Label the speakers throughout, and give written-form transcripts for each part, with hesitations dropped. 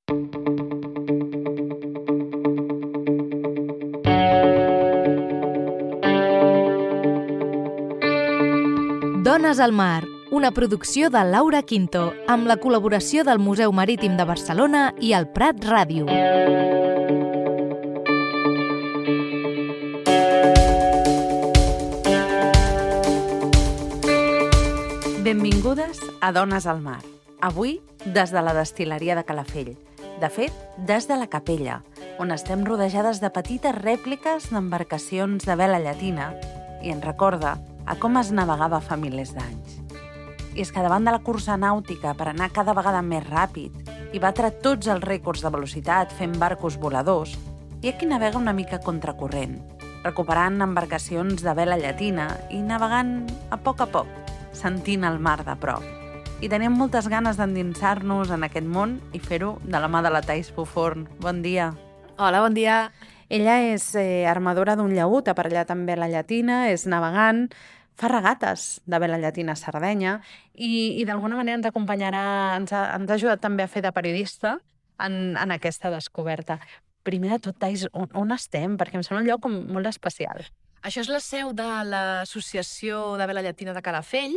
Speaker 1: Dones al mar, una producció de Laura Quinto, amb la col·laboració del Museu Marítim de Barcelona i el Prat Ràdio.
Speaker 2: Benvingudes a Dones al mar. Avui, des de la destil·leria de Calafell. De fet, des de la capella, on estem rodejades de petites rèpliques d'embarcacions de vela llatina i ens recorda a com es navegava fa milers d'anys. I és que davant de la cursa nàutica per anar cada vegada més ràpid i batre tots els rècords de velocitat fent barcos voladors, hi ha qui navega una mica contracorrent, recuperant embarcacions de vela llatina i navegant a poc, sentint el mar de prop. I tenim moltes ganes d'endinsar-nos en aquest món i fer-ho de la mà de la Thais Puforn. Bon dia.
Speaker 3: Hola, bon dia.
Speaker 2: Ella és armadora d'un llaüt, aparellat amb vela llatina, és navegant, fa regates de vela llatina a Sardenya i d'alguna manera ens acompanyarà, ens ha ajudat també a fer de periodista en aquesta descoberta. Primer de tot, Thais, on estem? Perquè em sembla un lloc molt especial.
Speaker 3: Això és la seu de l'Associació de Vela Llatina de Calafell.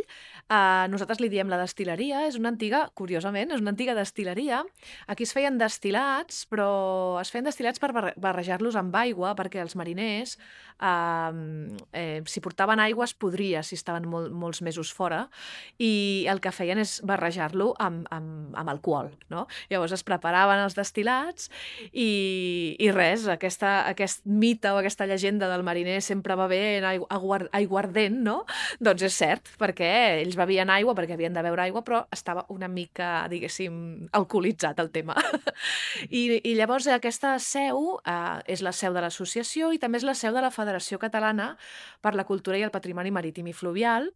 Speaker 3: Nosaltres li diem la destil·leria. És una antiga, curiosament, és una antiga destil·leria. Aquí es feien destil·lats, però es feien destil·lats per barrejar-los amb aigua, perquè els mariners, si portaven aigua, es podria si estaven molts mesos fora, i el que feien és barrejar-lo amb alcohol, no? Llavors es preparaven els destil·lats i res, aquest mite o aquesta llegenda del mariner sempre va bé en aiguardent, no? Doncs és cert, perquè ells bevien aigua perquè havien de beure aigua, però estava una mica, diguéssim, alcoholitzat el tema. I llavors aquesta seu és la seu de l'associació i també és la seu de la Federació Catalana per la Cultura i el Patrimoni Marítim i Fluvial,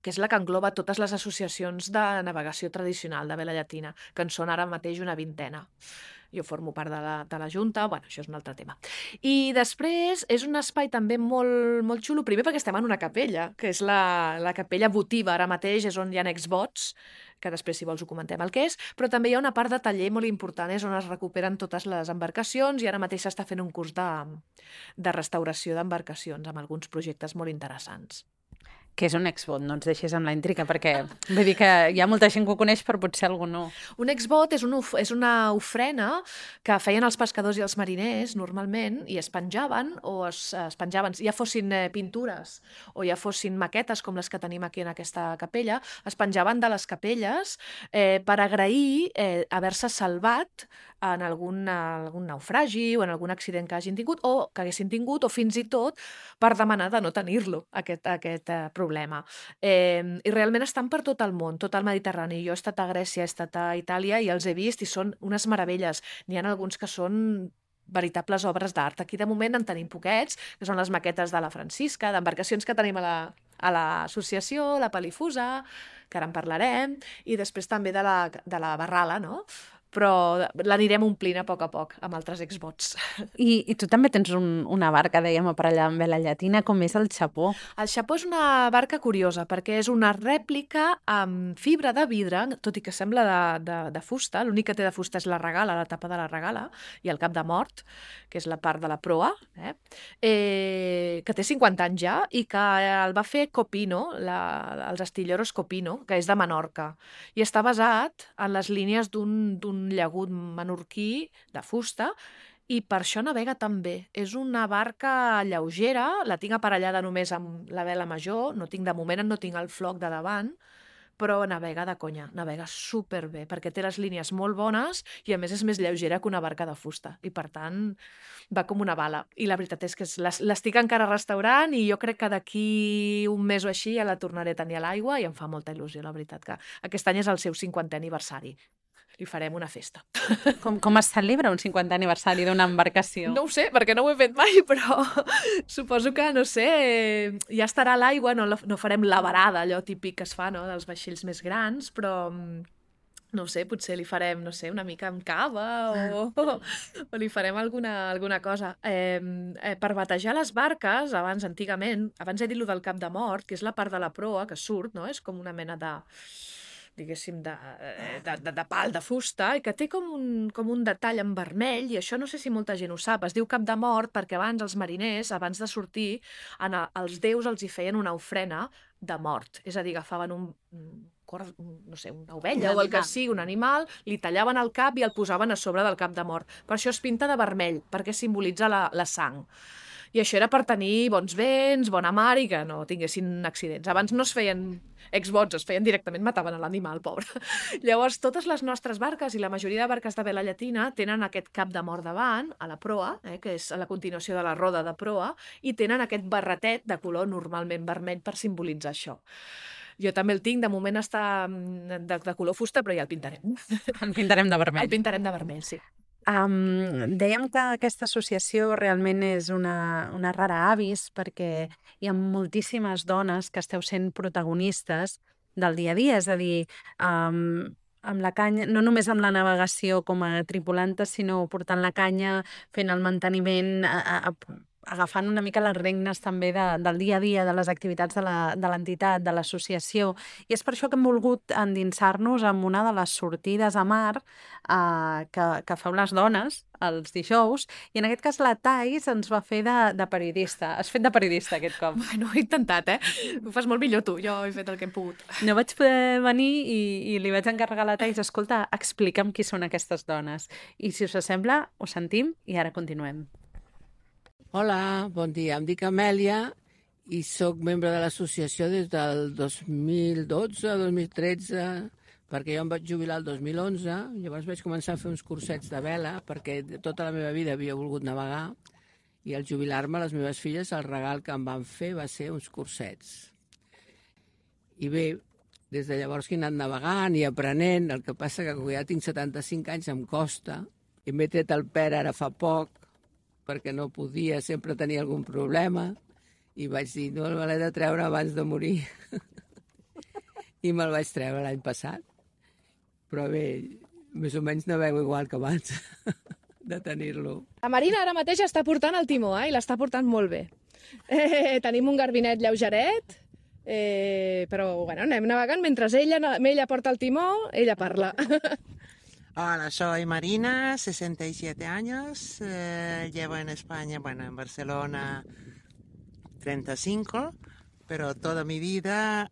Speaker 3: que és la que engloba totes les associacions de navegació tradicional de vela llatina, que en són ara mateix una 20a. Jo formo part de la Junta, bueno, això és un altre tema. I després és un espai també molt, molt xulo, primer perquè estem en una capella, que és la capella votiva, ara mateix és on hi ha exvots, que després, si vols, ho comentem el que és, però també hi ha una part de taller molt important, és on es recuperen totes les embarcacions i ara mateix s'està fent un curs de restauració d'embarcacions amb alguns projectes molt interessants.
Speaker 2: Què és un exbot? No ens deixis amb la intriga, perquè vull dir que hi ha molta gent que ho coneix, però potser algú no.
Speaker 3: Un exbot és una ofrena que feien els pescadors i els mariners, normalment, i es penjaven, ja fossin pintures o ja fossin maquetes, com les que tenim aquí en aquesta capella, es penjaven de les capelles per agrair haver-se salvat en algun naufragi o en algun accident que hagin tingut o que haguessin tingut, o fins i tot per demanar de no tenir-lo, aquest problema. I realment estan per tot el món, tot el Mediterrani. Jo he estat a Grècia, he estat a Itàlia i els he vist i són unes meravelles. N'hi ha alguns que són veritables obres d'art. Aquí de moment en tenim poquets, que són les maquetes de la Francisca, d'embarcacions que tenim a l'associació, la Palifusa, que ara en parlarem, i després també de la Barrala, no? Però l'anirem omplint a poc amb altres exbots.
Speaker 2: I tu també tens una barca, dèiem, aparellada amb vela llatina, com és el Xapó?
Speaker 3: El Xapó és una barca curiosa, perquè és una rèplica amb fibra de vidre, tot i que sembla de fusta. L'únic que té de fusta és la regala, la tapa de la regala, i el cap de mort, que és la part de la proa, que té 50 anys ja, i que el va fer Copino, els Astilleros Copino, que és de Menorca, i està basat en les línies d'un llagut menorquí de fusta, i per això navega tan bé. És una barca lleugera, la tinc aparellada només amb la vela major, de moment no tinc el floc de davant, però navega de conya, navega superbé, perquè té les línies molt bones i a més és més lleugera que una barca de fusta, i per tant va com una bala. I la veritat és que l'estic encara restaurant i jo crec que d'aquí un mes o així ja la tornaré a tenir a l'aigua i em fa molta il·lusió, la veritat, que aquest any és el seu 50è aniversari. Li farem una festa.
Speaker 2: Com es celebra un 50è aniversari d'una embarcació?
Speaker 3: No ho sé, perquè no ho he fet mai, però suposo que, no sé, ja estarà a l'aigua, no farem la varada, allò típic que es fa, no?, dels vaixells més grans, però no sé, potser li farem, no sé, una mica amb cava o li farem alguna cosa. Per batejar les barques, antigament, abans he dit lo del cap de mort, que és la part de la proa que surt, no?, és com una mena de diguéssim, de pal, de fusta, i que té com un detall en vermell, i això no sé si molta gent ho sap, es diu cap de mort perquè abans els mariners, abans de sortir, els déus els hi feien una ofrena de mort, és a dir, agafaven no sé, una ovella o el que sigui, un animal, li tallaven el cap i el posaven a sobre del cap de mort. Per això es pinta de vermell, perquè simbolitza la sang. I això era per tenir bons vents, bona mar i que no tinguessin accidents. Abans no es feien exvots, es feien directament, mataven a l'animal, pobre. Llavors, totes les nostres barques i la majoria de barques de vela llatina tenen aquest cap de mort davant, a la proa, que és a la continuació de la roda de proa, i tenen aquest barretet de color normalment vermell per simbolitzar això. Jo també el tinc, de moment està de color fusta, però ja el pintarem.
Speaker 2: El pintarem de vermell.
Speaker 3: El pintarem de vermell, sí.
Speaker 2: Dèiem que aquesta associació realment és una rara avis perquè hi ha moltíssimes dones que esteu sent protagonistes del dia a dia, és a dir, amb la canya, no només amb la navegació com a tripulantes, sinó portant la canya, fent el manteniment, agafant una mica les regnes també del dia a dia, de les activitats de l'entitat, de l'associació. I és per això que hem volgut endinsar-nos en una de les sortides a mar que feu les dones els dijous, i en aquest cas la Thais ens va fer de periodista. Has fet de periodista aquest cop.
Speaker 3: Bueno, he intentat, Ho fas molt millor tu, jo he fet el que he pogut.
Speaker 2: No vaig poder venir i li vaig encarregar a la Thais, escolta, explica'm qui són aquestes dones. I si us sembla, ho sentim i ara continuem.
Speaker 4: Hola, bon dia. Em dic Amèlia i sóc membre de l'associació des del 2012-2013, perquè jo em vaig jubilar el 2011, llavors vaig començar a fer uns cursets de vela, perquè tota la meva vida havia volgut navegar, i al jubilar-me les meves filles el regal que em van fer va ser uns cursets. I bé, des de llavors que he anat navegant i aprenent, el que passa que quan ja tinc 75 anys em costa, i m'he tret el PER ara fa poc, perquè no podia, sempre tenia algun problema, i vaig dir, no, me l'he de treure abans de morir. I me'l vaig treure l'any passat. Però bé, més o menys navego igual que abans de tenir-lo.
Speaker 5: La Marina ara mateix està portant el timó, i l'està portant molt bé. Tenim un garbinet lleugeret, però bueno, anem navegant mentre ella porta el timó, ella parla.
Speaker 6: Hola, soy Marina, 67 años, llevo en España, bueno, en Barcelona 35, pero toda mi vida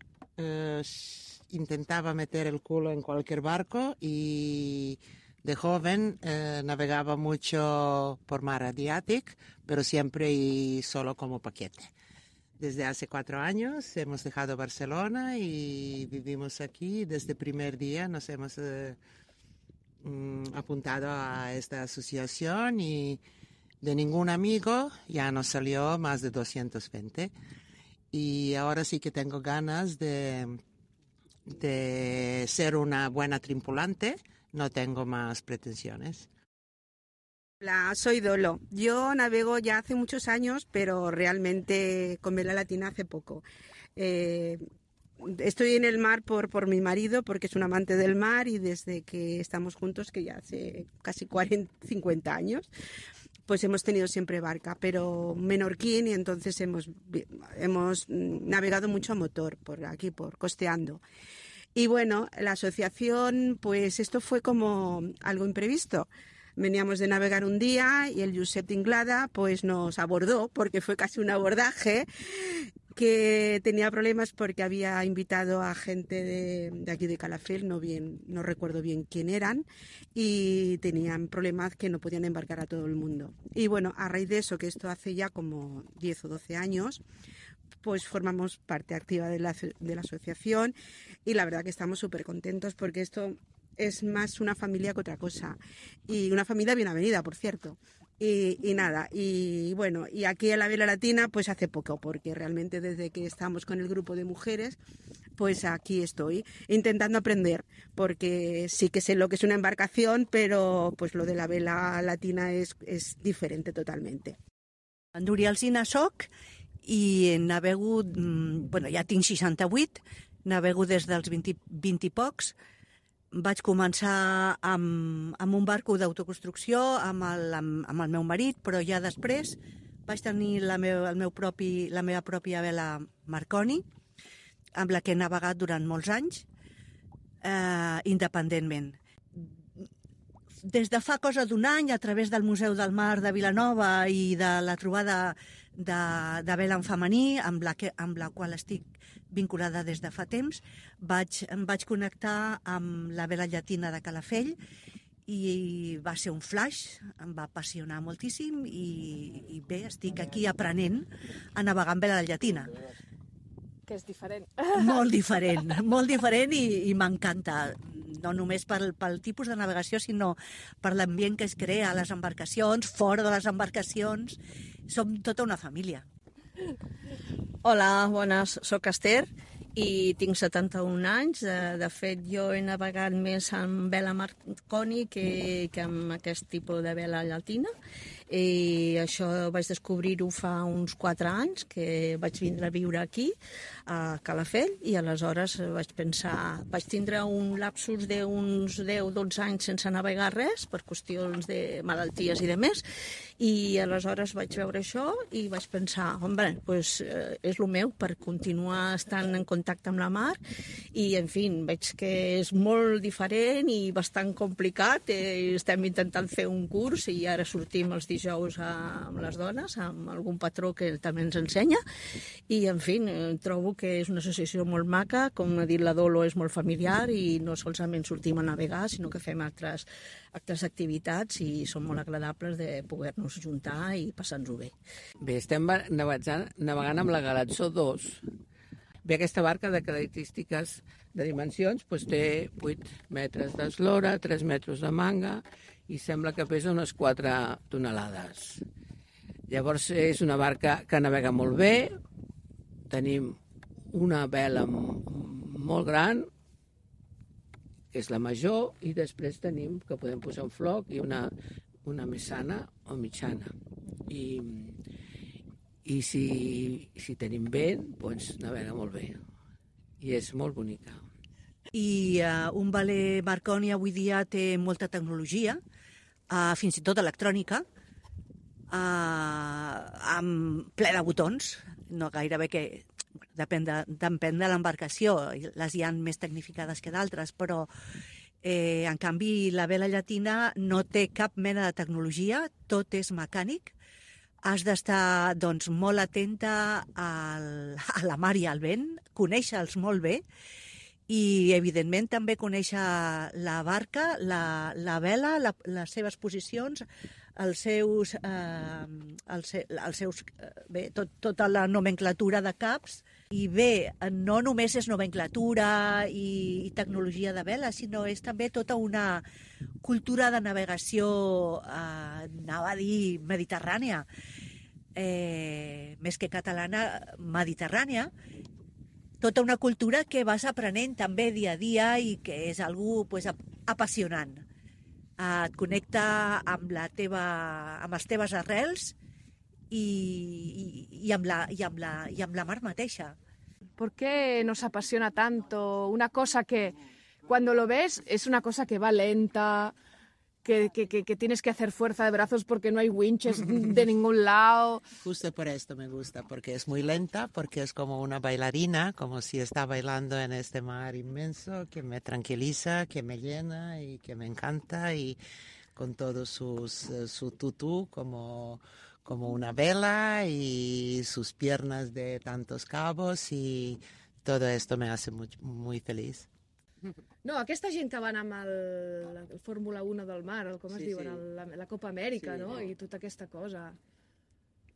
Speaker 6: intentaba meter el culo en cualquier barco y de joven navegaba mucho por mar Adriático, pero siempre y solo como paquete. Desde hace 4 años hemos dejado Barcelona y vivimos aquí. Desde el primer día nos hemos apuntado a esta asociación y de ningún amigo ya nos salió más de 220. Y ahora sí que tengo ganas de ser una buena tripulante, no tengo más pretensiones.
Speaker 7: Hola, soy Dolo. Yo navego ya hace muchos años, pero realmente con vela latina hace poco. Estoy en el mar por mi marido, porque es un amante del mar, y desde que estamos juntos, que ya hace casi 50 años, pues hemos tenido siempre barca, pero menorquín, y entonces hemos navegado mucho a motor, por aquí, por costeando. Y bueno, la asociación, pues esto fue como algo imprevisto. Veníamos de navegar un día y el Josep Inglada pues nos abordó, porque fue casi un abordaje, que tenía problemas porque había invitado a gente de aquí de Calafell, no recuerdo bien quién eran, y tenían problemas que no podían embarcar a todo el mundo. Y bueno, a raíz de eso, que esto hace ya como 10 o 12 años, pues formamos parte activa de la asociación, y la verdad que estamos súper contentos, porque esto es más una familia que otra cosa, y una familia bien avenida, por cierto. Y nada, y bueno, y aquí en la vela latina pues hace poco, porque realmente desde que estamos con el grupo de mujeres, pues aquí estoy intentando aprender, porque sí que sé lo que es una embarcación, pero pues lo de la vela latina es diferente totalmente.
Speaker 8: Núria Alsina soc i navego, bueno, ja tinc 68, navego des dels 20 i pocs. Vaig començar amb un barco d'autoconstrucció amb el meu marit, però ja després vaig tenir la meva pròpia vela Marconi, amb la que he navegat durant molts anys. independentment. Des de fa cosa d'un any, a través del Museu del Mar de Vilanova i de la trobada de vela en femení, amb la qual estic vinculada des de fa temps, em vaig connectar amb la vela llatina de Calafell i va ser un flash, em va apassionar moltíssim i bé, estic aquí aprenent a navegar amb vela llatina.
Speaker 5: Que és diferent.
Speaker 8: Molt diferent i m'encanta. No només pel tipus de navegació, sinó per l'ambient que es crea a les embarcacions, fora de les embarcacions. Som tota una família.
Speaker 9: Hola, bones, soc Esther i tinc 71 anys. De fet, jo he navegat més amb vela Marconi que amb aquest tipus de vela llatina. I això vaig descobrir-ho fa uns 4 anys, que vaig vindre a viure aquí, a Calafell, i aleshores vaig tindre un lapsus d'uns 10-12 anys sense navegar res, per qüestions de malalties i de més, i aleshores vaig veure això i vaig pensar, home, doncs és el meu per continuar estant en contacte amb la mar, i en fi, veig que és molt diferent i bastant complicat. Estem intentant fer un curs i ara sortim els dijous amb les dones, amb algun patró que també ens ensenya, i en fi, trobo que és una associació molt maca, com ha dit la Dolo, és molt familiar i no solament sortim a navegar, sinó que fem altres activitats i són molt agradables de poder-nos juntar i passar-nos-ho bé.
Speaker 4: Bé, estem navegant amb la Galatzó 2. Bé, aquesta barca de característiques de dimensions doncs té 8 metres d'eslora, 3 metres de manga i sembla que pesa unes 4 tonelades. Llavors és una barca que navega molt bé, tenim una vela molt gran, que és la major, i després tenim que podem posar un floc i una més sana o mitjana. I si tenim vent, doncs navega molt bé. I és molt bonica.
Speaker 8: I un veler Marconi avui dia té molta tecnologia, fins i tot electrònica, amb ple de botons, no gairebé que... Depèn de l'embarcació, les hi ha més tecnificades que d'altres, però en canvi la vela llatina no té cap mena de tecnologia, tot és mecànic. Has d'estar doncs, molt atenta a la mar i al vent, conèixer-los molt bé, i evidentment també conèixer la barca, la vela, les seves posicions, tota la nomenclatura de caps. I bé, no només és nomenclatura i tecnologia de vela, sinó és també tota una cultura de navegació, anava a dir mediterrània, més que catalana, mediterrània, tota una cultura que vas aprenent també dia a dia i que és algú apassionant. Et connecta amb les teves arrels y amb la mar mateja.
Speaker 5: ¿Por qué nos apasiona tanto una cosa que cuando lo ves es una cosa que va lenta, que tienes que hacer fuerza de brazos porque no hay winches de ningún lado?
Speaker 6: Justo por esto me gusta, porque es muy lenta, porque es como una bailarina, como si está bailando en este mar inmenso, que me tranquiliza, que me llena y que me encanta, y con todo su tutú como una vela y sus piernas de tantos cabos, y todo esto me hace muy feliz.
Speaker 5: No, aquesta gent que van amb el Fórmula 1 del mar, com es diuen, la Copa Amèrica, no? I tota aquesta cosa.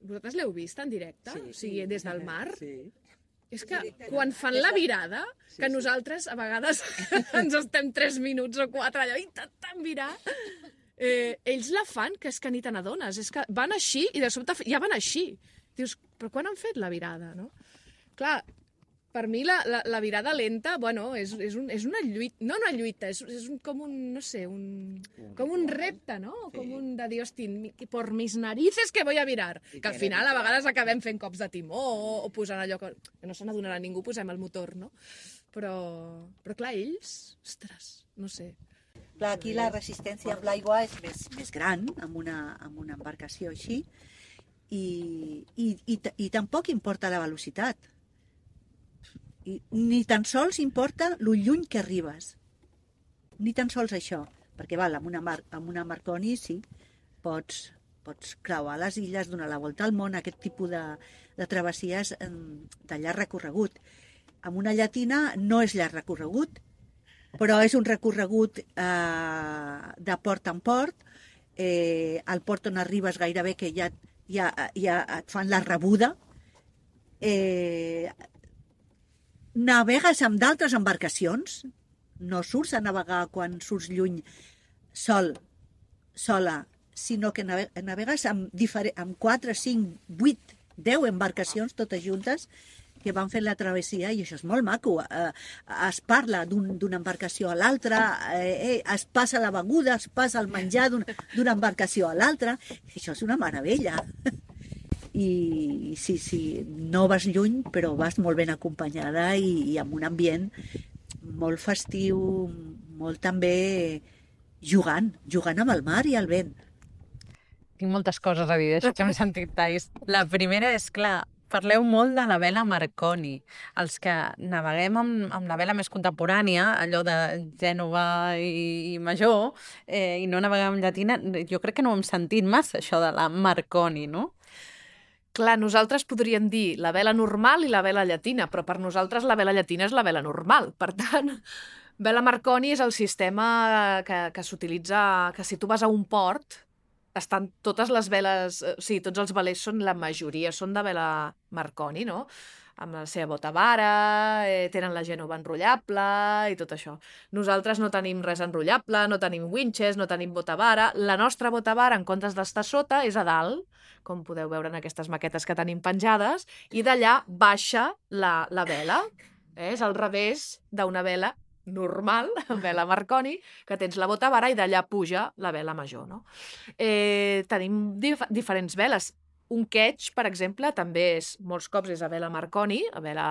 Speaker 5: Vosaltres l'heu vist en directe? O sigui, des del mar?
Speaker 6: Sí.
Speaker 5: És que quan fan la virada, que nosaltres a vegades ens estem 3 minuts o 4 allò intentant virar, ells la fan, que és que ni te n'adones, és que van així i de sobte ja van així. Dius, però quan han fet la virada, no? Clar, per mi la virada lenta, bueno, és una lluita, no una lluita, és com un, no sé, com un repte, no? Sí. Com un de dir, hosti, por mis narices que voy a virar. Que al final a vegades acabem fent cops de timó o posant allò que no se n'adonarà ningú, posem el motor, no? Però clar, ells, ostres, no sé.
Speaker 8: Clar, aquí la resistència amb l'aigua és més gran, amb una embarcació així, i tampoc importa la velocitat. Ni tan sols importa lo lluny que arribes. ni tan sols això, perquè val, amb una Marconi sí, pots creuar les illes, donar la volta al món, aquest tipus de travessies de llarg recorregut. Amb una llatina no és llarg recorregut, però és un recorregut de port en port. Al port on arribes gairebé que ja et fan la rebuda. Navegues amb d'altres embarcacions, no surts a navegar quan surts lluny sola, sinó que navegues amb 4, 5, 8, 10 embarcacions totes juntes que van fent la travessia, i això és molt maco. Es parla d'una embarcació a l'altra, es passa la beguda, es passa el menjar d'una embarcació a l'altra. Això és una meravella. I sí, no vas lluny, però vas molt ben acompanyada i amb un ambient molt festiu, molt també jugant amb el mar i el vent.
Speaker 2: Tinc moltes coses a dir d'això que hem sentit, Thais. La primera és, clar, parleu molt de la vela Marconi. Els que naveguem amb la vela més contemporània, allò de Gènova i Major, i no naveguem amb llatina, jo crec que no ho hem sentit massa, això de la Marconi, no?
Speaker 3: Clar, nosaltres podríem dir la vela normal i la vela llatina, però per nosaltres la vela llatina és la vela normal. Per tant, vela Marconi és el sistema que s'utilitza, que si tu vas a un port, estan totes les veles, o sigui, tots els velers són, la majoria són de vela Marconi, no? Amb la seva bota vara, tenen la Gènova enrotllable i tot això. Nosaltres no tenim res enrotllable, no tenim winches, no tenim bota vara. La nostra bota vara, en comptes d'estar sota, és a dalt, com podeu veure en aquestes maquetes que tenim penjades, i d'allà baixa la vela. És al revés d'una vela normal, vela Marconi, que tens la bota vara i d'allà puja la vela major, no? Tenim diferents veles. Un quetx, per exemple, també molts cops és a vela Marconi, a vela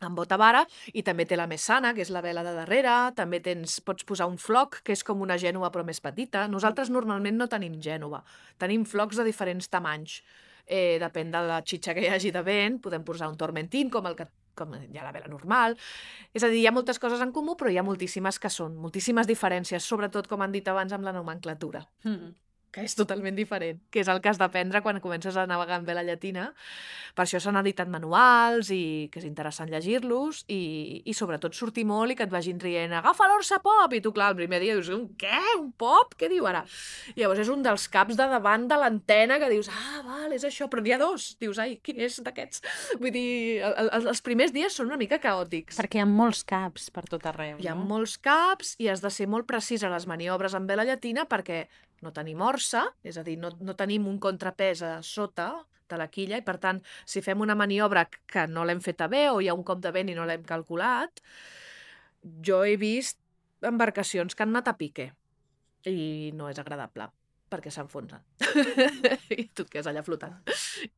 Speaker 3: amb bota vara, i també té la Messana, que és la vela de darrere, també pots posar un floc, que és com una Gènova però més petita. Nosaltres normalment no tenim Gènova, tenim flocs de diferents tamanys. Depèn de la xitxa que hi hagi de vent, podem posar un Tormentin, com hi ha la vela normal. És a dir, hi ha moltes coses en comú, però hi ha moltíssimes moltíssimes diferències, sobretot, com han dit abans, amb la nomenclatura. Que és totalment diferent, que és el que has d'aprendre quan comences a navegar en vela llatina. Per això s'han editat manuals i que és interessant llegir-los i sobretot sortir molt i que et vagin rient agafa l'orsa pop! I tu, clar, el primer dia dius què? Un pop? Què diu ara? I llavors és un dels caps de davant de l'antena que dius val, és això, però n'hi ha dos. Dius, quin és d'aquests? Vull dir, els primers dies són una mica caòtics.
Speaker 2: Perquè hi ha molts caps per tot arreu, no?
Speaker 3: Hi ha molts caps i has de ser molt precís a les maniobres en vela llatina perquè no tenim orsa, és a dir, no tenim un contrapès a sota de la quilla i, per tant, si fem una maniobra que no l'hem feta bé o hi ha un cop de vent i no l'hem calculat, jo he vist embarcacions que han anat a pique i no és agradable perquè s'enfonsen i tu et quedes allà flotant. Sí.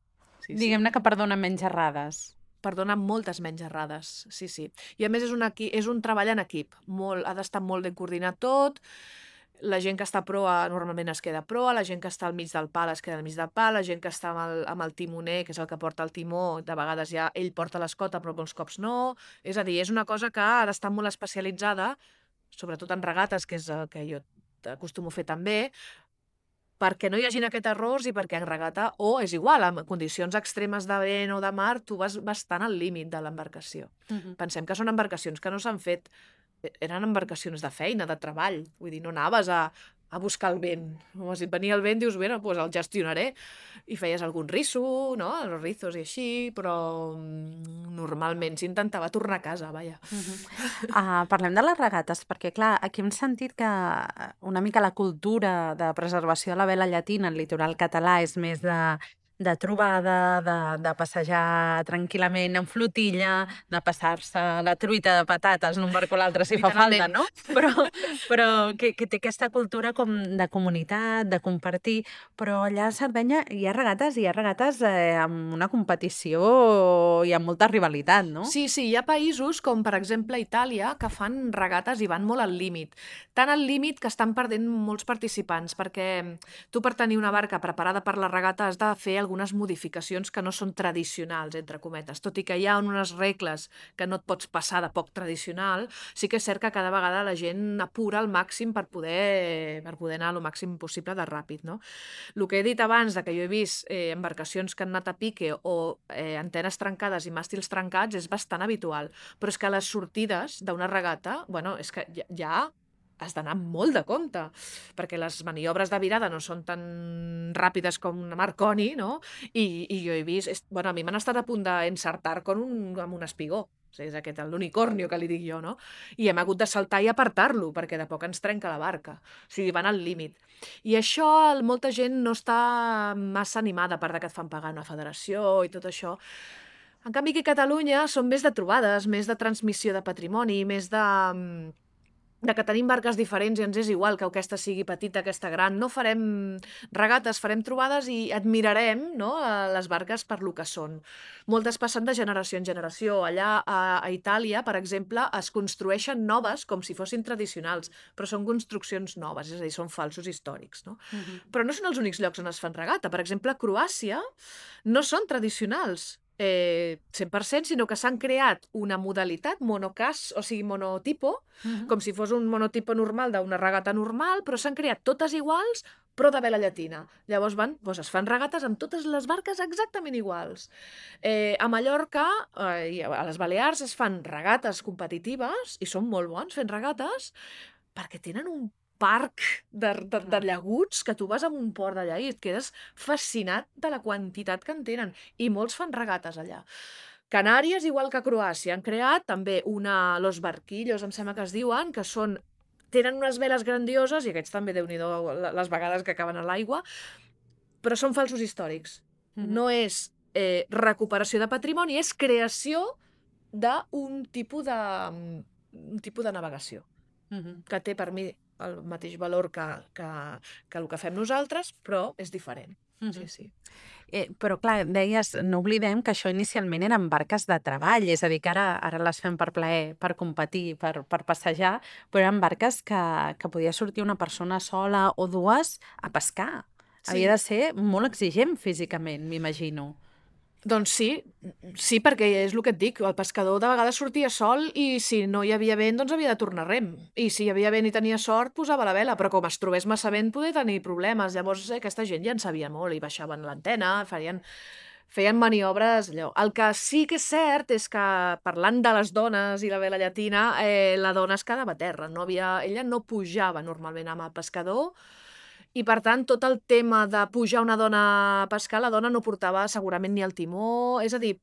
Speaker 2: Diguem-ne que perdona menys errades.
Speaker 3: Perdona moltes menys errades, sí. I a més és un treball en equip, ha d'estar molt ben coordinat tot. La gent que està a proa normalment es queda a proa, la gent que està al mig del pal es queda al mig del pal, la gent que està amb el timoner, que és el que porta el timó, de vegades ja ell porta l'escota però molts cops no. És a dir, és una cosa que ha d'estar molt especialitzada, sobretot en regates, que és el que jo acostumo a fer també, perquè no hi hagin aquests errors i perquè en regata, és igual, en condicions extremes de vent o de mar, tu vas bastant al límit de l'embarcació. Pensem que són embarcacions que no s'han fet, eren embarcacions de feina, de treball, vull dir, no anaves a buscar el vent. Si et venia el vent, dius, bé, doncs el gestionaré. I feies algun risso, no?, els rizos i així, però normalment s'intentava tornar a casa, vaja.
Speaker 2: Parlem de les regates, perquè, clar, aquí hem sentit que una mica la cultura de preservació de la vela llatina al litoral català és més de trobada, de passejar tranquil·lament en flotilla, de passar-se la truita de patates d'un barco a l'altre si fa falta, no? Però que té aquesta cultura com de comunitat, de compartir, però allà a Sardenya hi ha regates amb una competició i amb molta rivalitat, no?
Speaker 3: Sí, hi ha països com, per exemple, Itàlia, que fan regates i van molt al límit. Tant al límit que estan perdent molts participants, perquè tu per tenir una barca preparada per la regata has de fer algunes modificacions que no són tradicionals, entre cometes. Tot i que hi ha unes regles que no et pots passar de poc tradicional, sí que és cert que cada vegada la gent apura al màxim per poder anar el màxim possible de ràpid, no? El que he dit abans, que jo he vist embarcacions que han anat a pique o antenes trencades i màstils trencats, és bastant habitual. Però és que les sortides d'una regata, bueno, és que ja has d'anar molt de compte, perquè les maniobres de virada no són tan ràpides com una Marconi, no? I jo he vist... Bueno, a mi m'han estat a punt d'encertar amb un espigó. O sigui, és aquest, l'unicornio que li dic jo, no? I hem hagut de saltar i apartar-lo, perquè de poc ens trenca la barca. O sigui, van al límit. I això, molta gent no està massa animada, a part que et fan pagar una federació i tot això. En canvi, aquí a Catalunya són més de trobades, més de transmissió de patrimoni, més de que tenim barques diferents i ens és igual que aquesta sigui petita, aquesta gran. No farem regates, farem trobades i admirarem, no, les barques per lo que són. Moltes passen de generació en generació. Allà a Itàlia, per exemple, es construeixen noves com si fossin tradicionals, però són construccions noves, és a dir, són falsos històrics, no? Però no són els únics llocs on es fan regata. Per exemple, a Croàcia no són tradicionals 100%, sinó que s'han creat una modalitat monocas, o sigui, monotipo, com si fos un monotipo normal d'una regata normal, però s'han creat totes iguals, però de vela llatina. Llavors es fan regates amb totes les barques exactament iguals. A Mallorca i a les Balears es fan regates competitives, i són molt bons fent regates, perquè tenen un parc de llaguts que tu vas a un port d'allà i et quedes fascinat de la quantitat que en tenen. I molts fan regates allà. Canàries, igual que Croàcia, han creat també los barquillos, em sembla que es diuen, que tenen unes veles grandioses, i aquests també, Déu-n'hi-do, les vegades que acaben a l'aigua, però són falsos històrics. No és recuperació de patrimoni, és creació d'un tipus de navegació, que té per mi el mateix valor que el que fem nosaltres, però és diferent. Sí.
Speaker 2: Però clar, deies, no oblidem que això inicialment eren barques de treball, és a dir, que ara les fem per plaer, per competir, per passejar, però eren barques que podia sortir una persona sola o dues a pescar. Havia de ser molt exigent físicament, m'imagino.
Speaker 3: Doncs sí, perquè és el que et dic, el pescador de vegades sortia sol i si no hi havia vent, doncs havia de tornar rem. I si hi havia vent i tenia sort, posava la vela, però com es trobés massa vent podia tenir problemes. Llavors aquesta gent ja en sabia molt i baixaven l'antena, feien maniobres allò. El que sí que és cert és que, parlant de les dones i la vela llatina, la dona es quedava a terra. Ella no pujava normalment amb el pescador, i, per tant, tot el tema de pujar una dona a pescar, la dona no portava segurament ni el timó. És a dir,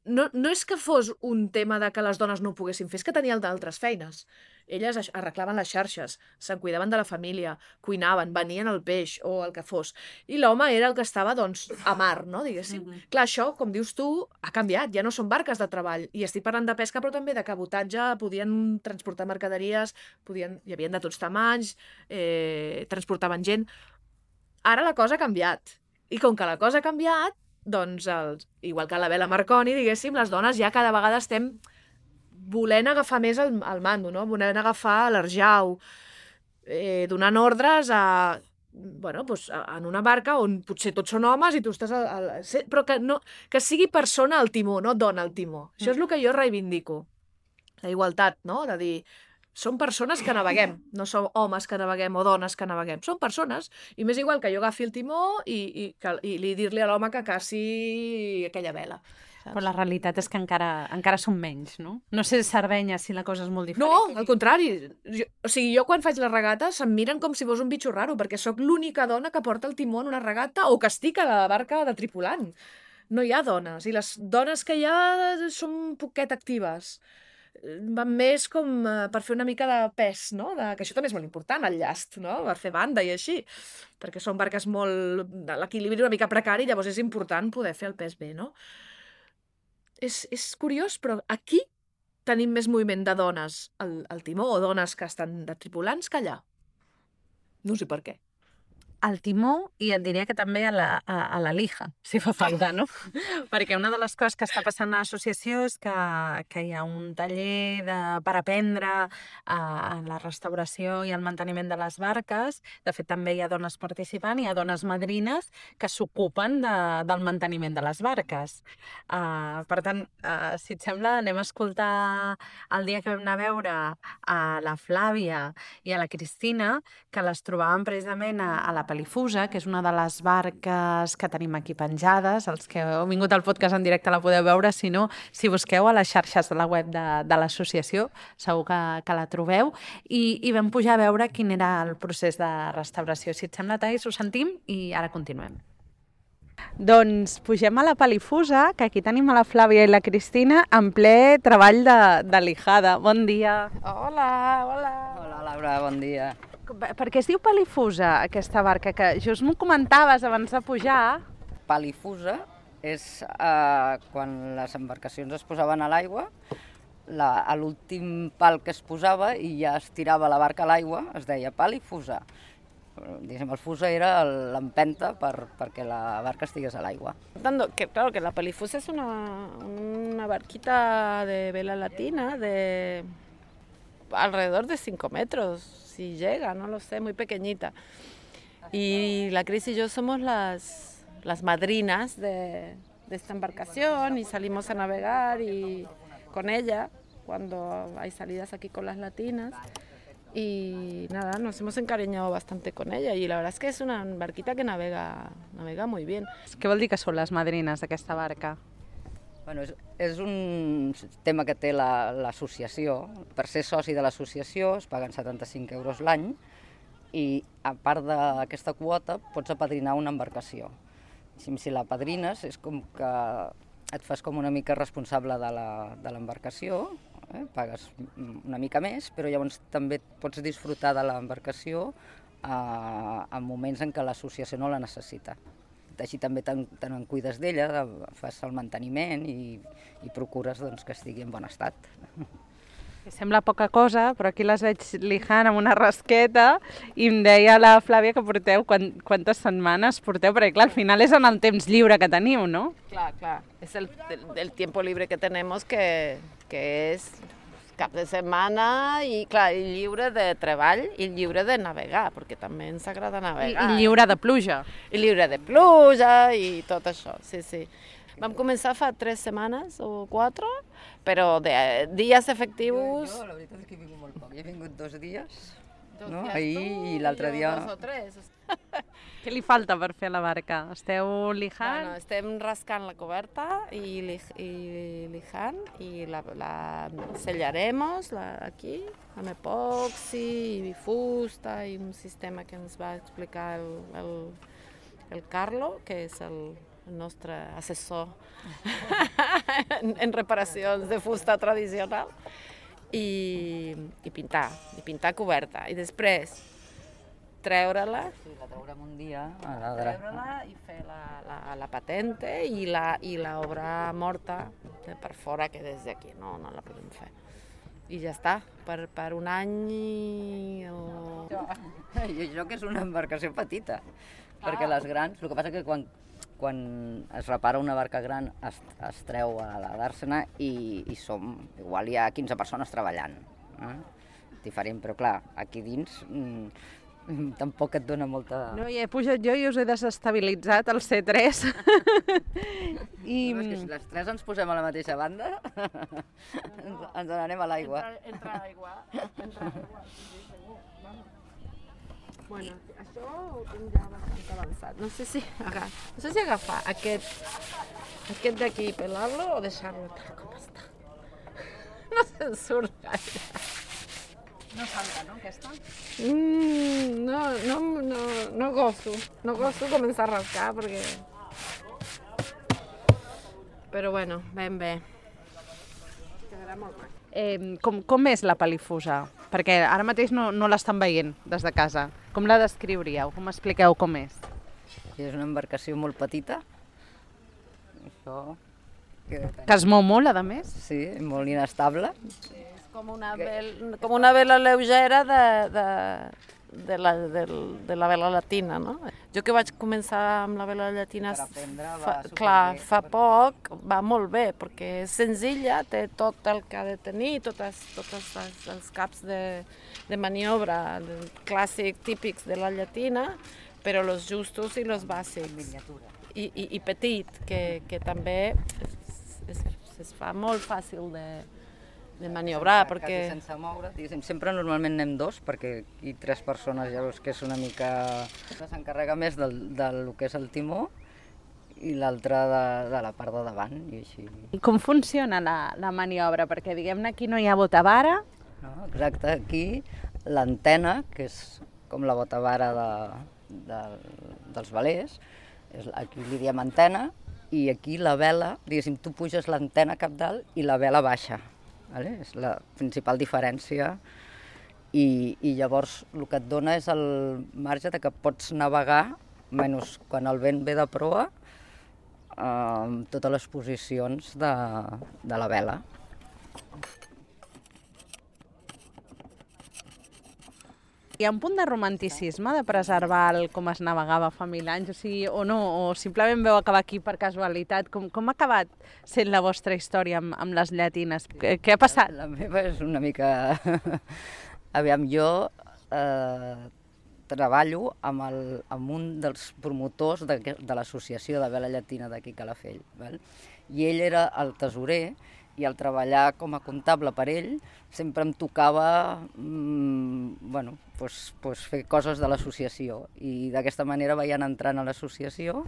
Speaker 3: no és que fos un tema de que les dones no ho poguessin fer, és que tenien d'altres feines. Elles arreglaven les xarxes, se'n cuidaven de la família, cuinaven, venien el peix o el que fos. I l'home era el que estava, doncs, a mar, no?, diguéssim. Clar, això, com dius tu, ha canviat, ja no són barques de treball. I estic parlant de pesca, però també de cabotatge, podien transportar mercaderies, hi havia de tots tamanys, transportaven gent. Ara la cosa ha canviat. I com que la cosa ha canviat, doncs, igual que la vela Marconi, diguéssim, les dones ja cada vegada estem volent agafar més el mando, no? Volent agafar l'arjau, donant ordres en una barca on potser tots són homes i tu estàs... Però que sigui persona al timó, no dona al timó. Això és el que jo reivindico. La igualtat, no? De dir, són persones que naveguem, no són homes que naveguem o dones que naveguem. Són persones, i m'és igual que jo agafi el timó i dir-li a l'home que caci aquella vela.
Speaker 2: Però la realitat és que encara són menys, no? No sé Sardenya si la cosa és molt diferent.
Speaker 3: No, al contrari. Jo quan faig les regates em miren com si fos un bitxo raro, perquè sóc l'única dona que porta el timó en una regata o que estic a la barca de tripulant. No hi ha dones, i les dones que hi ha són poquet actives. Van més com per fer una mica de pes, no? Que això també és molt important, el llast, no? Per fer banda i així, perquè són barques molt... l'equilibri una mica precari, llavors és important poder fer el pes bé, no? És curiós, però aquí tenim més moviment de dones al timó o dones que estan de tripulants que allà. No sé per què.
Speaker 2: al timó i et diria que també a la lija, si fa falta, no? Perquè una de les coses que està passant a l'associació és que hi ha un taller per aprendre a la restauració i el manteniment de les barques. De fet, també hi ha dones participant, hi ha dones madrines que s'ocupen del manteniment de les barques. Per tant, si et sembla, anem a escoltar el dia que vam anar a veure a la Flàvia i a la Cristina, que les trobàvem precisament a la Palifusa, que és una de les barques que tenim aquí penjades. Els que heu vingut al podcast en directe la podeu veure, si no, si busqueu a les xarxes de la web de l'associació, segur que la trobeu. I vam pujar a veure quin era el procés de restauració. Si et sembla, Thais, ho sentim i ara continuem. Doncs pugem a la Palifusa, que aquí tenim a la Flàvia i la Cristina en ple treball de lijada. Bon dia.
Speaker 10: Hola.
Speaker 11: Hola, Laura, bon dia.
Speaker 2: Per què es diu Palifusa, aquesta barca? Que just m'ho comentaves abans de pujar.
Speaker 11: Palifusa és quan les embarcacions es posaven a l'aigua, a l'últim pal que es posava i ja es tirava la barca a l'aigua, es deia Palifusa. Diguéssim, el fusa era l'empenta perquè la barca estigués a l'aigua.
Speaker 10: Claro que la Palifusa es una barquita de vela latina de alrededor de 5 metros, si llega, no lo sé, muy pequeñita. Y la Cris y yo somos las madrinas de esta embarcación y salimos a navegar con ella cuando hay salidas aquí con las latinas. Y nada, nos hemos encariñado bastante con ella y la verdad es que es una barquita que navega muy bien.
Speaker 2: Què vol dir que són les madrines d'aquesta barca?
Speaker 11: Bueno, és un tema que té l'associació. Per ser soci de l'associació es paguen 75 euros l'any i a part d'aquesta quota pots apadrinar una embarcació. Si la padrines és com que et fas com una mica responsable de l'embarcació, pagues una mica més, però llavors també pots disfrutar de l'embarcació en moments en què l'associació no la necessita. Així també te'n cuides d'ella, fas el manteniment i procures que estigui en bon estat.
Speaker 2: Sembla poca cosa, però aquí les veig lijant amb una rasqueta i em deia la Flàvia que porteu, quantes setmanes porteu? Perquè clar, al final és en el temps lliure que teniu, no?
Speaker 10: Clar, és el tiempo libre que tenemos que és cap de setmana i clar, i lliure de treball i lliure de navegar, perquè també ens agrada navegar.
Speaker 2: I lliure de pluja.
Speaker 10: I lliure de pluja i tot això, sí. Vam començar fa 3 setmanes o 4, però de dies efectius...
Speaker 11: Jo la veritat és que he vingut molt poc. He vingut 2 dies, ahir i l'altre dia...
Speaker 10: 2 o 3.
Speaker 2: Què li falta per fer la barca? Esteu lijant?
Speaker 10: Bueno, estem rascant la coberta i lijant i la sellaremos aquí amb epoxi i fusta i un sistema que ens va explicar el Carlo, que és el nostre assessor en reparacions de fusta tradicional, i pintar coberta. I després treure-la.
Speaker 11: Sí, la treurem un dia.
Speaker 10: Treure-la i fer la patente i l'obra morta per fora, que des d'aquí no la podem fer. I ja està, per un any o...
Speaker 11: Jo que és una embarcació petita, perquè les grans... El que passa que quan es repara una barca gran es treu a la dàrsena i igual hi ha 15 persones treballant. Diferent, però clar, aquí dins tampoc et dona molta...
Speaker 2: No, hi he pujat jo i us he desestabilitzat el C3.
Speaker 11: És que si les 3 ens posem a la mateixa banda, ens n'anem a l'aigua.
Speaker 10: Entra aigua, sí, segur. Bueno, això ho tinc ja bastant avançat. No sé si agafar aquest d'aquí i pelar-lo o deixar-lo tal com està. No se'n surt gaire.
Speaker 2: No salta, no, aquesta?
Speaker 10: No gosto començar a rascar perquè... Però bueno, ben bé. Quedarà molt maco.
Speaker 2: Com és la Palifusa? Perquè ara mateix no l'estan veient des de casa. Com la descriuríeu? Com expliqueu com és?
Speaker 11: És una embarcació molt petita. Això...
Speaker 2: Que es mou molt, a més?
Speaker 11: Sí, molt inestable.
Speaker 10: Com una vela lleugera de la vela llatina, no? Jo que vaig començar amb la vela llatina fa poc, va molt bé, perquè és senzilla, té tot el que ha de tenir, tots els caps de maniobra clàssic típics de la llatina, però los justos i los bàsics. I petit, que també es fa molt fàcil de maniobrar, perquè...
Speaker 11: Quasi sense moure, diguéssim, sempre normalment anem dos, perquè aquí 3 persones ja veus que és una mica... S'encarrega més del que és el timó i l'altre de la part de davant, i així.
Speaker 2: I com funciona la maniobra? Perquè, diguem-ne, aquí no hi ha botavara.
Speaker 11: No, exacte, aquí l'antena, que és com la botavara dels velers, aquí li diem antena, i aquí la vela, diguéssim, tu puges l'antena cap dalt i la vela baixa. Vale? És la principal diferència i llavors el que et dona és el marge de que pots navegar, menys quan el vent ve de proa, amb totes les posicions de la vela.
Speaker 2: Hi ha un punt de romanticisme de preservar com es navegava fa 1000 anys, o sigui, o no, o simplement veu acabar aquí per casualitat? Com ha acabat sent la vostra història amb les llatines? Què ha passat?
Speaker 11: La meva és una mica... Aviam, jo treballo amb un dels promotors de l'associació de vela llatina d'aquí Calafell, val? I ell era el tesorer, i al treballar com a comptable per ell sempre em tocava fer coses de l'associació, i d'aquesta manera vaig anar entrant a l'associació.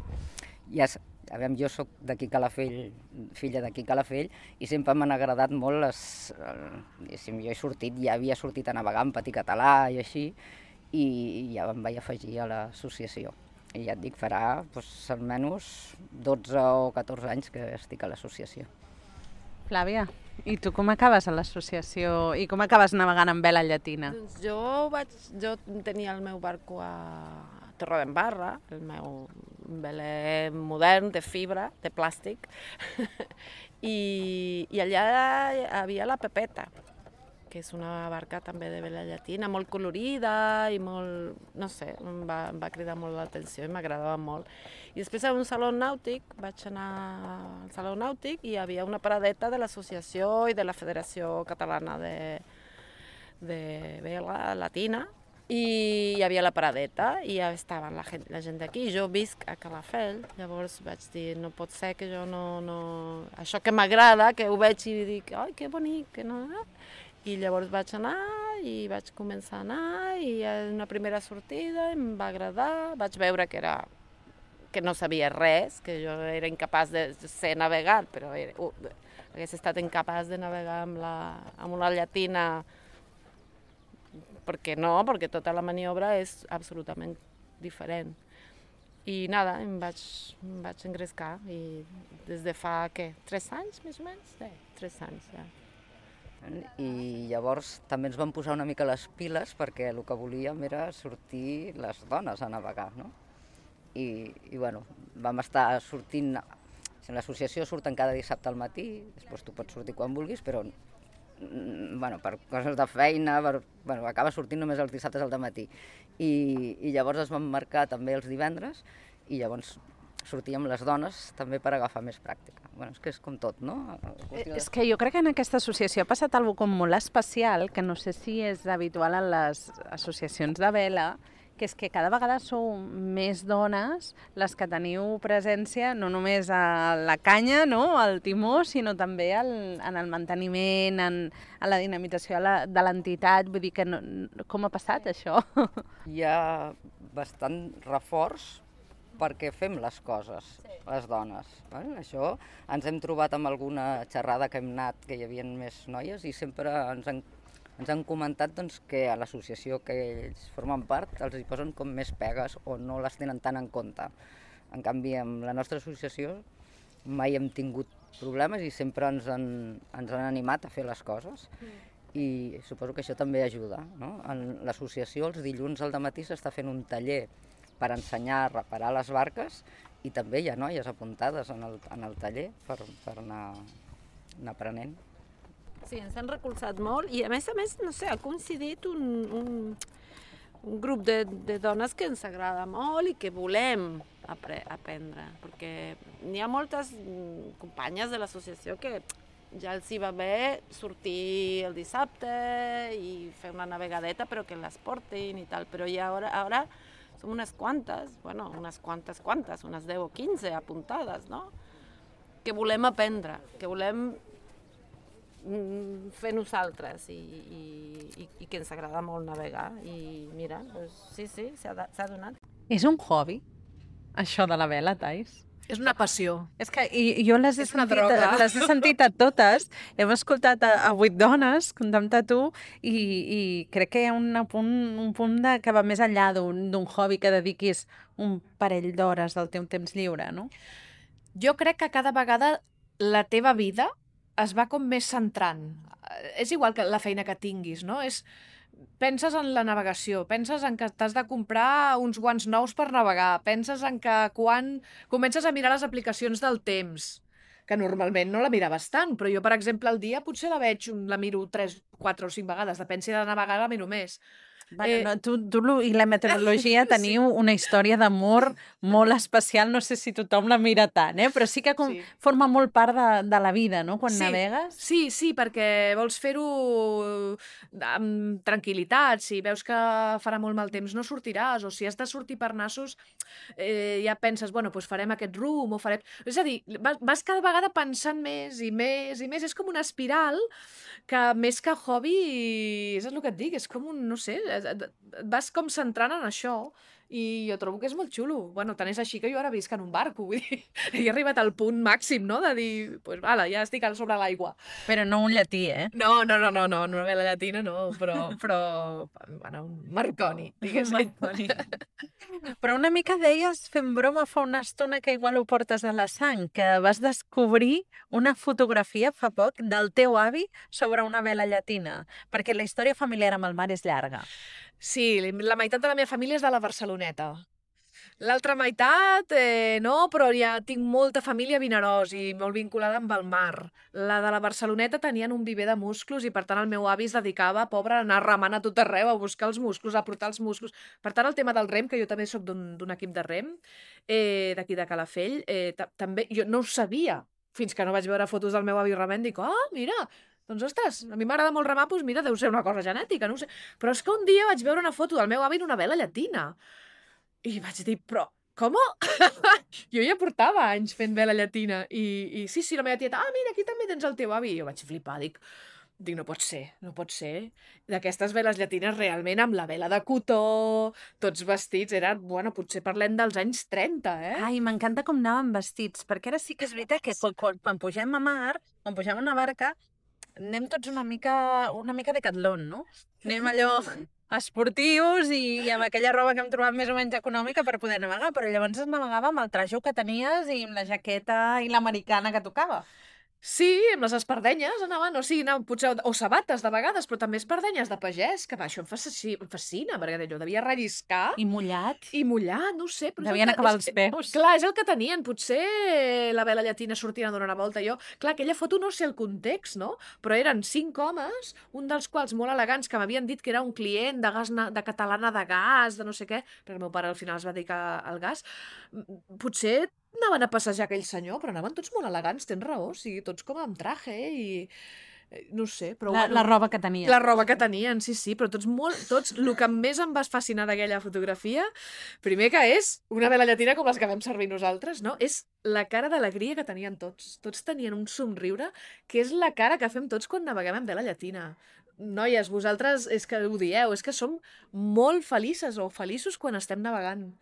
Speaker 11: Jo soc d'aquí Calafell, filla d'aquí Calafell, i sempre m'han agradat molt jo havia sortit a navegar en patí català i així, i ja em vaig afegir a l'associació. I ja et dic, farà almenys 12 o 14 anys que estic a l'associació.
Speaker 2: Flàvia, i tu com acabes a l'associació i com acabes navegant amb vela llatina?
Speaker 10: Doncs jo tenia el meu barco a Torredembarra, el meu veler modern de fibra, de plàstic, i allà hi havia la Pepeta, que és una barca també de vela llatina, molt colorida i molt, no sé, em va cridar molt l'atenció i m'agradava molt. I després a un saló nàutic, vaig anar al saló nàutic i hi havia una paradeta de l'associació i de la Federació Catalana de Vela Llatina, i hi havia la paradeta i ja estava la gent d'aquí. Jo visc a Calafell, llavors vaig dir, no pot ser que jo no... Això que m'agrada, que ho veig i dic, ai, que bonic, que no... I llavors vaig anar i vaig començar a anar, i en una primera sortida em va agradar, vaig veure que no sabia res, que jo era incapaç de ser navegar, però hagués estat incapaç de navegar amb una llatina, perquè no, perquè tota la maniobra és absolutament diferent. I nada, em vaig engrescar, i des de fa, 3 anys més o menys? 3 anys, ja.
Speaker 11: I llavors també ens vam posar una mica les piles, perquè el que volíem era sortir les dones a navegar, no? I vam estar sortint... L'associació surten cada dissabte al matí, després tu pots sortir quan vulguis, però per coses de feina, acaba sortint només els dissabtes al matí. I llavors es van marcar també els divendres, i llavors sortíem les dones també per agafar més pràctica. És que és com tot, no?
Speaker 2: És que jo crec que en aquesta associació ha passat alguna cosa molt especial, que no sé si és habitual en les associacions de vela, que és que cada vegada sou més dones les que teniu presència no només a la canya, no? Al timó, sinó també en el manteniment, en la dinamització de l'entitat. Vull dir que com ha passat això?
Speaker 11: Hi ha bastant reforç perquè fem les coses, les dones. Això ens hem trobat amb alguna xerrada que hem anat, que hi havia més noies, i sempre ens han comentat que a l'associació que ells formen part els hi posen com més pegues o no les tenen tant en compte. En canvi, amb la nostra associació mai hem tingut problemes i sempre ens han animat a fer les coses. I suposo que això també ajuda, no? En l'associació els dilluns al matí s'està fent un taller per ensenyar a reparar les barques, i també hi ha noies apuntades en el taller per anar aprenent.
Speaker 10: Sí, ens han recolzat molt, i a més, no sé, ha coincidit un grup de dones que ens agrada molt i que volem aprendre, perquè n'hi ha moltes companyes de l'associació que ja els hi va bé sortir el dissabte i fer una navegadeta, però que les portin i tal, però ja ara som unes quantes, unes 10 o 15 apuntades, no? Que volem aprendre, que volem fer nosaltres i que ens agrada molt navegar i mira, doncs, sí, s'ha donat.
Speaker 2: És un hobby, això de la vela, Thais?
Speaker 3: És una passió.
Speaker 2: És que jo les he sentit a totes, hem escoltat a 8 dones, comptant-te tu, i crec que hi ha un punt que va més enllà d'un hobby que dediquis un parell d'hores del teu temps lliure, no?
Speaker 3: Jo crec que cada vegada la teva vida es va com més centrant. És igual que la feina que tinguis, no? Penses en la navegació, penses en que t'has de comprar uns guants nous per navegar, penses en que quan comences a mirar les aplicacions del temps, que normalment no la miraves tant, però jo, per exemple, al dia potser la miro 3, 4 o 5 vegades, depèn si he de navegar la miro més.
Speaker 2: Bueno, tu i la meteorologia teniu una història d'amor molt especial, no sé si tothom la mira tant, però sí que forma molt part de la vida, no?, quan navegues.
Speaker 3: Sí, perquè vols fer-ho amb tranquil·litat, si veus que farà molt mal temps no sortiràs, o si has de sortir per nassos ja penses, doncs farem aquest rumb, o farem... És a dir, vas cada vegada pensant més i més i més, és com una espiral que més que hobby, és el que et dic, és com un, no sé, vas com centrant en això i jo trobo que és molt xulo. Bueno, tant és així que jo ara visc en un barco, vull dir, he arribat al punt màxim, no?, de dir, doncs, ja estic sobre l'aigua.
Speaker 2: Però no un llatí,
Speaker 3: No, una vela llatina no, però bueno, un Marconi, diguéssim.
Speaker 2: Però una mica deies, fent broma fa una estona, que igual ho portes a la sang, que vas descobrir una fotografia fa poc del teu avi sobre una vela llatina, perquè la història familiar amb el mar és llarga.
Speaker 3: Sí, la meitat de la meva família és de la Barceloneta. L'altra meitat, no, però ja tinc molta família a Vinaròs i molt vinculada amb el mar. La de la Barceloneta tenien un viver de musclos i, per tant, el meu avi es dedicava, pobre, a anar remant a tot arreu, a buscar els musclos, a portar els musclos. Per tant, el tema del rem, que jo també soc d'un equip de rem, d'aquí de Calafell, també jo no ho sabia, fins que no vaig veure fotos del meu avi remant, dic, mira, doncs, ostres, a mi m'agrada molt remar, doncs mira, deu ser una cosa genètica, no ho sé. Però és que un dia vaig veure una foto del meu avi en una vela llatina. I vaig dir, però, com? Jo ja portava anys fent vela llatina. I sí, la meva tieta, mira, aquí també tens el teu avi. I jo vaig flipar, dic, no pot ser. D'aquestes veles llatines realment amb la vela de cotó, tots vestits, potser parlem dels anys 30,
Speaker 2: Ai, m'encanta com anàvem vestits, perquè ara sí que és veritat que quan pugem a mar, quan pugem a una barca, anem tots una mica decatlon, no? Anem allò esportius i amb aquella roba que hem trobat més o menys econòmica per poder navegar, però llavors es navegava amb el trajo que tenies i amb la jaqueta i l'americana que tocava.
Speaker 3: Sí, amb les espardenyes anaven, potser, o sabates de vegades, però també espardenyes de pagès, que això em fascina, perquè allò devia relliscar.
Speaker 2: I mullat.
Speaker 3: No ho sé.
Speaker 2: Devien acabar els peus.
Speaker 3: Clar, és el que tenien, potser la vela llatina sortint a donar una volta. Clar, aquella foto no sé el context, no? Però eren 5 homes, un dels quals molt elegants, que m'havien dit que era un client de Catalana de Gas, de no sé què, perquè el meu pare al final es va dedicar al gas. Potser anaven a passejar aquell senyor, però anaven tots molt elegants, tens raó, tots com amb traje i... no sé, però...
Speaker 2: La roba que tenien.
Speaker 3: La roba que tenien, sí, però tots, el que més em va fascinar d'aquella fotografia, primer que és una vela llatina com les que vam servir nosaltres, no? És la cara d'alegria que tenien tots. Tots tenien un somriure, que és la cara que fem tots quan naveguem en vela llatina. Noies, vosaltres és que ho dieu, és que som molt felices o feliços quan estem navegant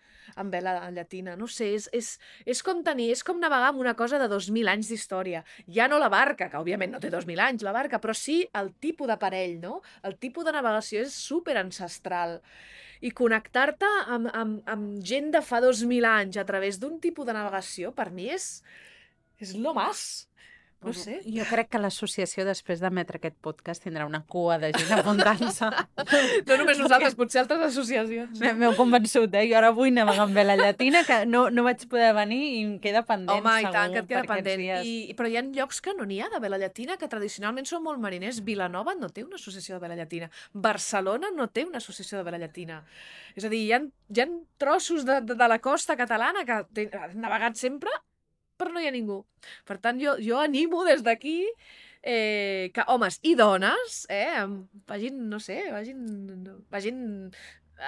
Speaker 3: amb vela llatina. No sé, és com navegar amb una cosa de 2.000 anys d'història. Ja no la barca, que òbviament no té 2.000 anys la barca, però sí el tipus d'aparell, no? El tipus de navegació és super ancestral. I connectar-te amb gent de fa 2.000 anys a través d'un tipus de navegació, per mi és lo más. No sé.
Speaker 2: Jo crec que l'associació, després d'emetre aquest podcast, tindrà una cua de gent apuntant-se.
Speaker 3: No només nosaltres, potser altres associacions.
Speaker 2: M'heu convençut, Jo ara vull navegar amb vela llatina, que no vaig poder venir i em queda pendent,
Speaker 3: Home,
Speaker 2: segur.
Speaker 3: i tant, que et queda pendent.
Speaker 2: Dies.
Speaker 3: Però hi ha llocs que no n'hi ha de vela llatina, que tradicionalment són molt mariners. Vilanova no té una associació de vela llatina. Barcelona no té una associació de vela llatina. És a dir, hi ha trossos de la costa catalana que han navegat sempre, però no hi ha ningú. Per tant, jo animo des d'aquí que homes i dones vagin, no sé, vagin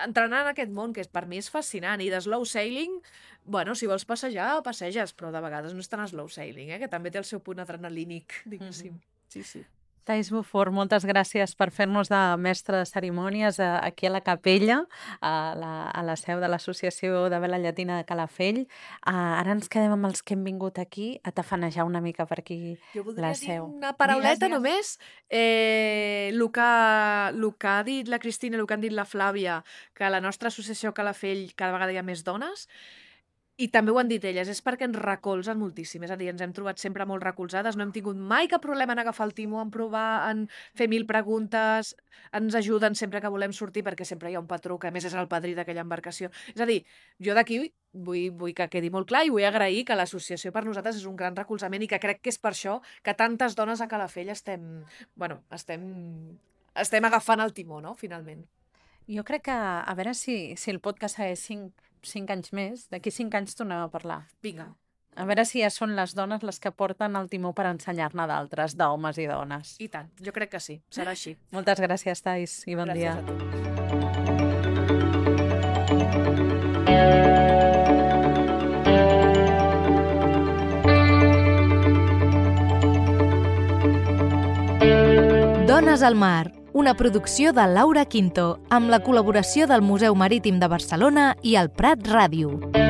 Speaker 3: entrenant en aquest món, que per mi és fascinant. I de slow sailing, bueno, si vols passejar, passeges, però de vegades no és tan slow sailing, que també té el seu punt adrenalínic, diguéssim. Sí.
Speaker 2: Thais Beaufort, moltes gràcies per fer-nos de mestre de cerimònies aquí a la capella, a la seu de l'Associació de Vela Llatina de Calafell. Ara ens quedem amb els que hem vingut aquí a tafanejar una mica per aquí la seu.
Speaker 3: Jo voldria dir una parauleta només. El que ha dit la Cristina, el que han dit la Flàvia, que a la nostra associació Calafell cada vegada hi ha més dones, i també ho han dit elles, és perquè ens recolzen moltíssim. És a dir, ens hem trobat sempre molt recolzades, no hem tingut mai cap problema en agafar el timó, en provar, en fer 1000 preguntes, ens ajuden sempre que volem sortir, perquè sempre hi ha un patró, que a més és el padrí d'aquella embarcació. És a dir, jo d'aquí vull que quedi molt clar i vull agrair que l'associació per nosaltres és un gran recolzament i que crec que és per això que tantes dones a Calafell estem agafant el timó, no?, finalment.
Speaker 2: Jo crec que, a veure si el podcast segueix 5 anys més, d'aquí 5 anys tornem a parlar.
Speaker 3: Vinga.
Speaker 2: A veure si ja són les dones les que porten el timó per ensenyar-ne d'altres, d'homes i dones.
Speaker 3: I tant, jo crec que sí, serà així.
Speaker 2: Moltes gràcies, Thais, i bon dia.
Speaker 3: Gràcies a tu.
Speaker 1: Dones al mar, una producció de Laura Quinto, amb la col·laboració del Museu Marítim de Barcelona i el Prat Ràdio.